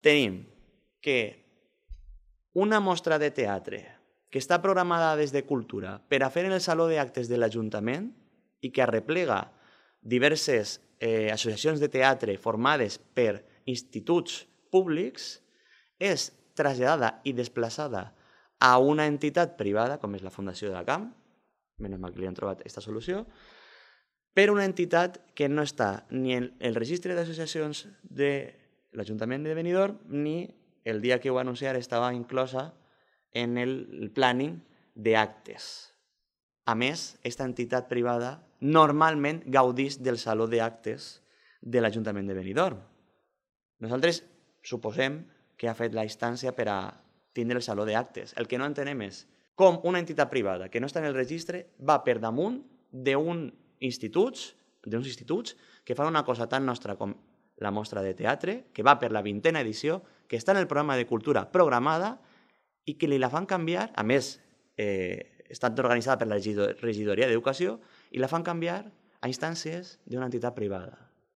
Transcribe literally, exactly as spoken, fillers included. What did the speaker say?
tenim que una mostra de teatre que està programada des de Cultura per a fer en el Saló d'Actes de l'Ajuntament i que arreplega diverses eh, associacions de teatre formades per instituts públics és traslladada i desplaçada a una entitat privada, com és la Fundació de la Camp, menys mal que li han trobat aquesta solució, per una entitat que no està ni en el registre d'associacions de l'Ajuntament de Benidorm ni el dia que ho va anunciar estava inclosa en el planning d'actes. A més, aquesta entitat privada normalment gaudeix del Saló d'Actes de l'Ajuntament de Benidorm. Nosaltres suposem que ha fet la instància per a tindre el Saló d'Actes. El que no entenem és com una entitat privada que no està en el registre va per damunt d'uns instituts, d'uns instituts que fan una cosa tan nostra com la mostra de teatre, que va per la vintena edició, que està en el programa de cultura programada i que li la fan canviar, a més, eh, està organitzada per la regidoria d'Educació, i la fan canviar a instàncies d'una entitat privada.